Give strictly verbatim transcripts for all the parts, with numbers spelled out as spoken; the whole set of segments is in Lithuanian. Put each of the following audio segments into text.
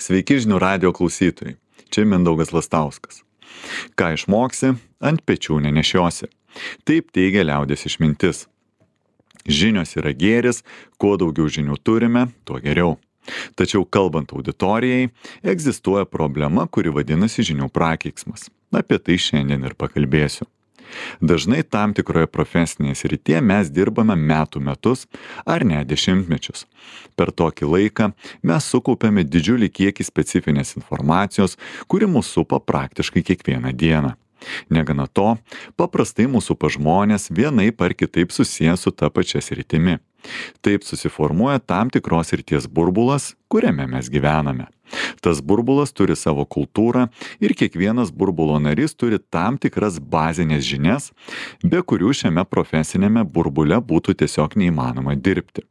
Sveiki žinių radijo klausytojai. Čia Mindaugas Lastauskas. Ką išmoksi, ant pečių nenešiosi. Taip teigia liaudies išmintis. Žinios yra gėris, kuo daugiau žinių turime, tuo geriau. Tačiau kalbant auditorijai, egzistuoja problema, kuri vadinasi žinių prakeiksmas. Apie tai šiandien ir pakalbėsiu. Dažnai tam tikroje profesinėje srityje mes dirbame metų metus ar net dešimtmečius. Per tokį laiką mes sukaupiame didžiulį kiekį specifinės informacijos, kuri mus supa praktiškai kiekvieną dieną. Negana to, paprastai mūsų pažmonės vienaip ar kitaip susiję su ta pačia sritimi. Taip susiformuoja tam tikros srities burbulas, kuriame mes gyvename. Tas burbulas turi savo kultūrą ir kiekvienas burbulo narys turi tam tikras bazinės žinias, be kurių šiame profesinėme burbule būtų tiesiog neįmanoma dirbti.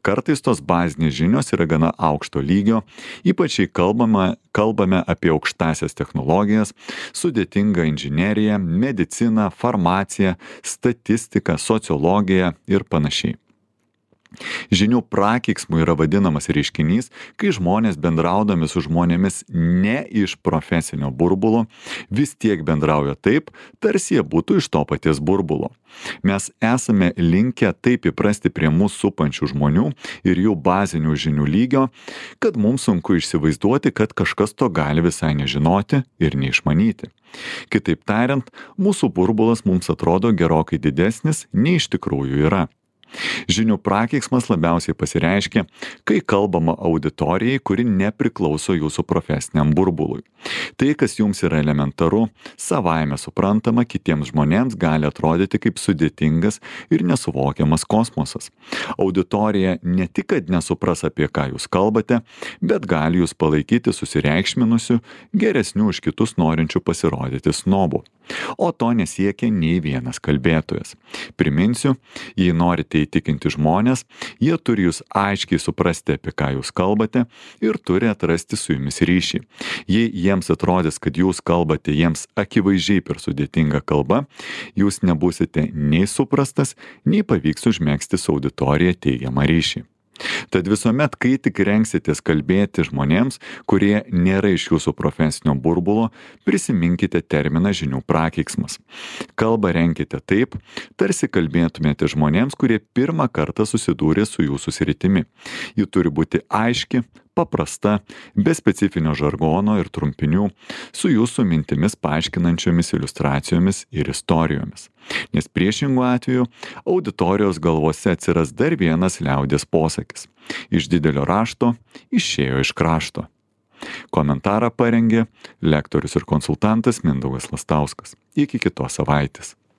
Kartais tos bazinės žinios yra gana aukšto lygio, ypač jei kalbame, kalbame apie aukštąsias technologijas, sudėtingą inžineriją, mediciną, farmaciją, statistiką, sociologiją ir panašiai. Žinių prakeiksmu yra vadinamas reiškinys, kai žmonės bendraudami su žmonėmis ne iš profesinio burbulo, vis tiek bendrauja taip, tarsi jie būtų iš to paties burbulo. Mes esame linkę taip įprasti prie mūsų supančių žmonių ir jų bazinių žinių lygio, kad mums sunku įsivaizduoti, kad kažkas to gali visai nežinoti ir neišmanyti. Kitaip tariant, mūsų burbulas mums atrodo gerokai didesnis, nei iš tikrųjų yra. Žinių prakeiksmas labiausiai pasireiškia, kai kalbama auditorijai, kuri nepriklauso jūsų profesiniam burbului. Tai, kas jums yra elementaru, savaime suprantama, kitiems žmonėms gali atrodyti kaip sudėtingas ir nesuvokiamas kosmosas. Auditorija ne tik, kad nesupras, apie ką jūs kalbate, bet gali jūs palaikyti susireikšminusiu, geresniu už kitus norinčių pasirodyti snobu. O to nesiekia nei vienas kalbėtojas. Priminsiu, jei norite įtikinti žmonės, jie turi jūs aiškiai suprasti, apie ką jūs kalbate ir turi atrasti su jumis ryšį. Jei jiems atrodys, kad jūs kalbate jiems akivaizdžiai per sudėtingą kalbą, jūs nebūsite nei suprastas, nei pavyks užmegzti su auditorija teigiamą ryšį. Tad visuomet, kai tik rengsitės kalbėti žmonėms, kurie nėra iš jūsų profesinio burbulo, prisiminkite terminą žinių prakeiksmas. Kalbą renkite taip, tarsi kalbėtumėte žmonėms, kurie pirmą kartą susidūrė su jūsų sritimi. Ji turi būti aiški, paprasta, be specifinio žargono ir trumpinių, su jūsų mintimis paaiškinančiomis iliustracijomis ir istorijomis. Nes priešingų atveju auditorijos galvose atsiras dar vienas liaudies posakis. Iš didelio rašto išėjo iš krašto. Komentarą parengė lektorius ir konsultantas Mindaugas Lastauskas. Iki kitos savaitės.